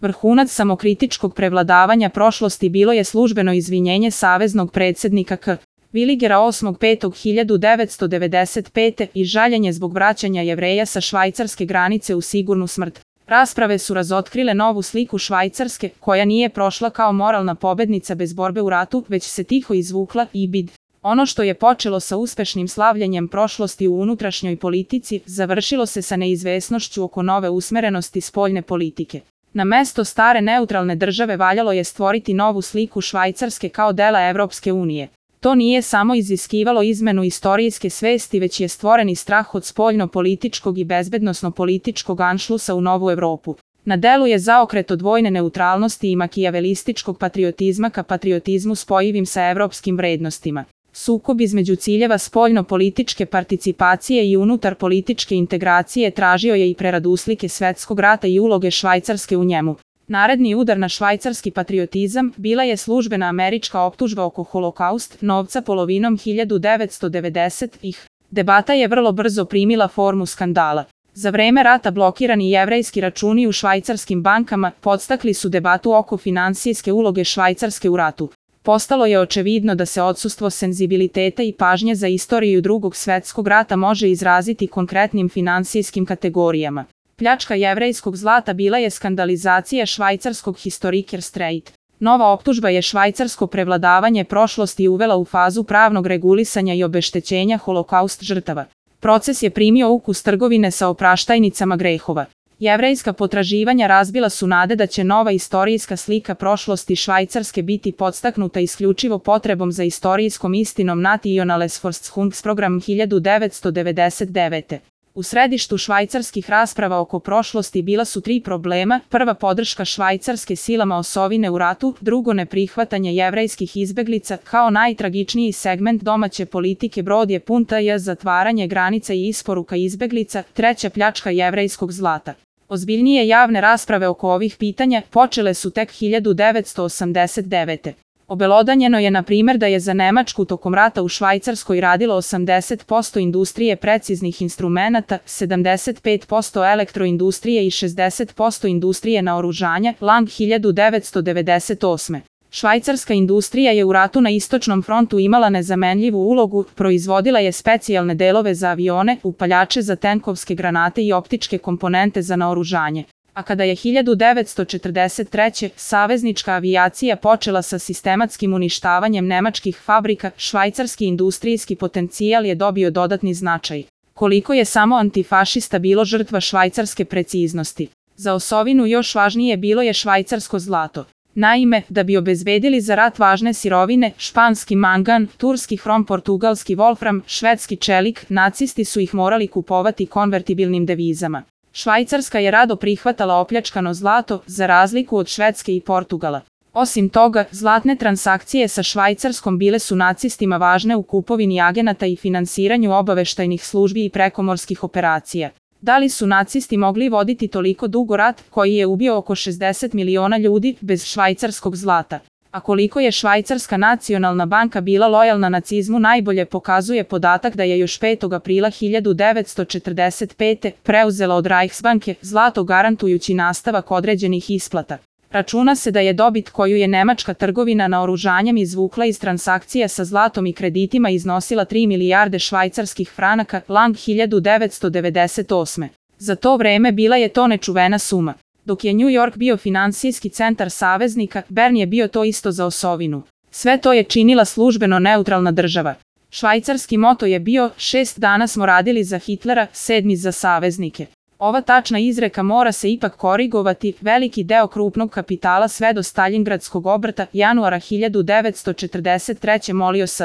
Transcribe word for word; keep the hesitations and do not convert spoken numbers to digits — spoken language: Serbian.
Vrhunac samokritičkog prevladavanja prošlosti bilo je službeno izvinjenje saveznog predsjednika K. Willigera osmog petog hiljadu devetsto devedeset pete i žaljenje zbog vraćanja Jevreja sa švajcarske granice u sigurnu smrt. Rasprave su razotkrile novu sliku Švajcarske, koja nije prošla kao moralna pobednica bez borbe u ratu, već se tiho izvukla i bid. Ono što je počelo sa uspešnim slavljenjem prošlosti u unutrašnjoj politici, završilo se sa neizvesnošću oko nove usmerenosti spoljne politike. Na mesto stare neutralne države valjalo je stvoriti novu sliku Švajcarske kao dela Evropske unije. To nije samo iziskivalo izmenu istorijske svesti, već je stvoren i strah od spoljno-političkog i bezbednosno-političkog anšlusa u novu Evropu. Na delu je zaokret od vojne neutralnosti i makijavelističkog patriotizma ka patriotizmu spojivim sa evropskim vrednostima. Sukob između ciljeva spoljno-političke participacije i unutar političke integracije tražio je i preraduslike svetskog rata i uloge Švajcarske u njemu. Naredni udar na švajcarski patriotizam bila je službena američka optužba oko Holokaust novca polovinom hiljadu devetsto devedesetih. Debata je vrlo brzo primila formu skandala. Za vreme rata blokirani jevrejski računi u švajcarskim bankama podstakli su debatu oko finansijske uloge Švajcarske u ratu. Postalo je očevidno da se odsustvo senzibiliteta i pažnje za istoriju Drugog svjetskog rata može izraziti konkretnim finansijskim kategorijama. Pljačka jevrejskog zlata bila je skandalizacija švajcarskog historiker Streit. Nova optužba je švajcarsko prevladavanje prošlosti uvela u fazu pravnog regulisanja i obeštećenja Holokaust žrtava. Proces je primio ukus trgovine sa opraštajnicama grehova. Jevrejska potraživanja razbila su nade da će nova istorijska slika prošlosti Švajcarske biti podstaknuta isključivo potrebom za istorijskom istinom Nationalesforschungsprogram hiljadu devetsto devedeset devete. U središtu švajcarskih rasprava oko prošlosti bila su tri problema: prva, podrška Švajcarske silama osovine u ratu; drugo, neprihvatanje jevrejskih izbeglica kao najtragičniji segment domaće politike; brod je pun t.j. zatvaranje granica i isporuka izbeglica; treća, pljačka jevrejskog zlata. Ozbiljnije javne rasprave oko ovih pitanja počele su tek hiljadu devetsto osamdeset devete. Obelodanjeno je na primjer da je za Nemačku tokom rata u Švajcarskoj radilo osamdeset posto industrije preciznih instrumenata, sedamdeset pet posto elektroindustrije i šezdeset posto industrije naoružanja. Lang hiljadu devetsto devedeset osme. Švajcarska industrija je u ratu na istočnom frontu imala nezamenljivu ulogu, proizvodila je specijalne delove za avione, upaljače za tenkovske granate i optičke komponente za naoružanje. A kada je hiljadu devetsto četrdeset treće. saveznička avijacija počela sa sistematskim uništavanjem nemačkih fabrika, švajcarski industrijski potencijal je dobio dodatni značaj. Koliko je samo antifašista bilo žrtva švajcarske preciznosti. Za osovinu još važnije bilo je švajcarsko zlato. Naime, da bi obezbedili za rat važne sirovine, španski mangan, turski hrom, portugalski volfram, švedski čelik, nacisti su ih morali kupovati konvertibilnim devizama. Švajcarska je rado prihvatala opljačkano zlato, za razliku od Švedske i Portugala. Osim toga, zlatne transakcije sa Švajcarskom bile su nacistima važne u kupovini agenata i finansiranju obaveštajnih službi i prekomorskih operacija. Da li su nacisti mogli voditi toliko dugo rat, koji je ubio oko šezdeset miliona ljudi, bez švajcarskog zlata? A koliko je Švajcarska nacionalna banka bila lojalna nacizmu najbolje pokazuje podatak da je još petog aprila hiljadu devetsto četrdeset pete. preuzela od Reichsbanke zlato garantujući nastavak određenih isplata. Računa se da je dobit koju je nemačka trgovina naoružanjem izvukla iz transakcija sa zlatom i kreditima iznosila tri milijarde švajcarskih franaka. Lang hiljadu devetsto devedeset osme. Za to vreme bila je to nečuvena suma. Dok je New York bio finansijski centar saveznika, Bern je bio to isto za osovinu. Sve to je činila službeno neutralna država. Švajcarski moto je bio: šest dana smo radili za Hitlera, sedmi za saveznike. Ova tačna izreka mora se ipak korigovati. Veliki deo krupnog kapitala sve do Staljingradskog obrta januara hiljadu devetsto četrdeset treće molio s.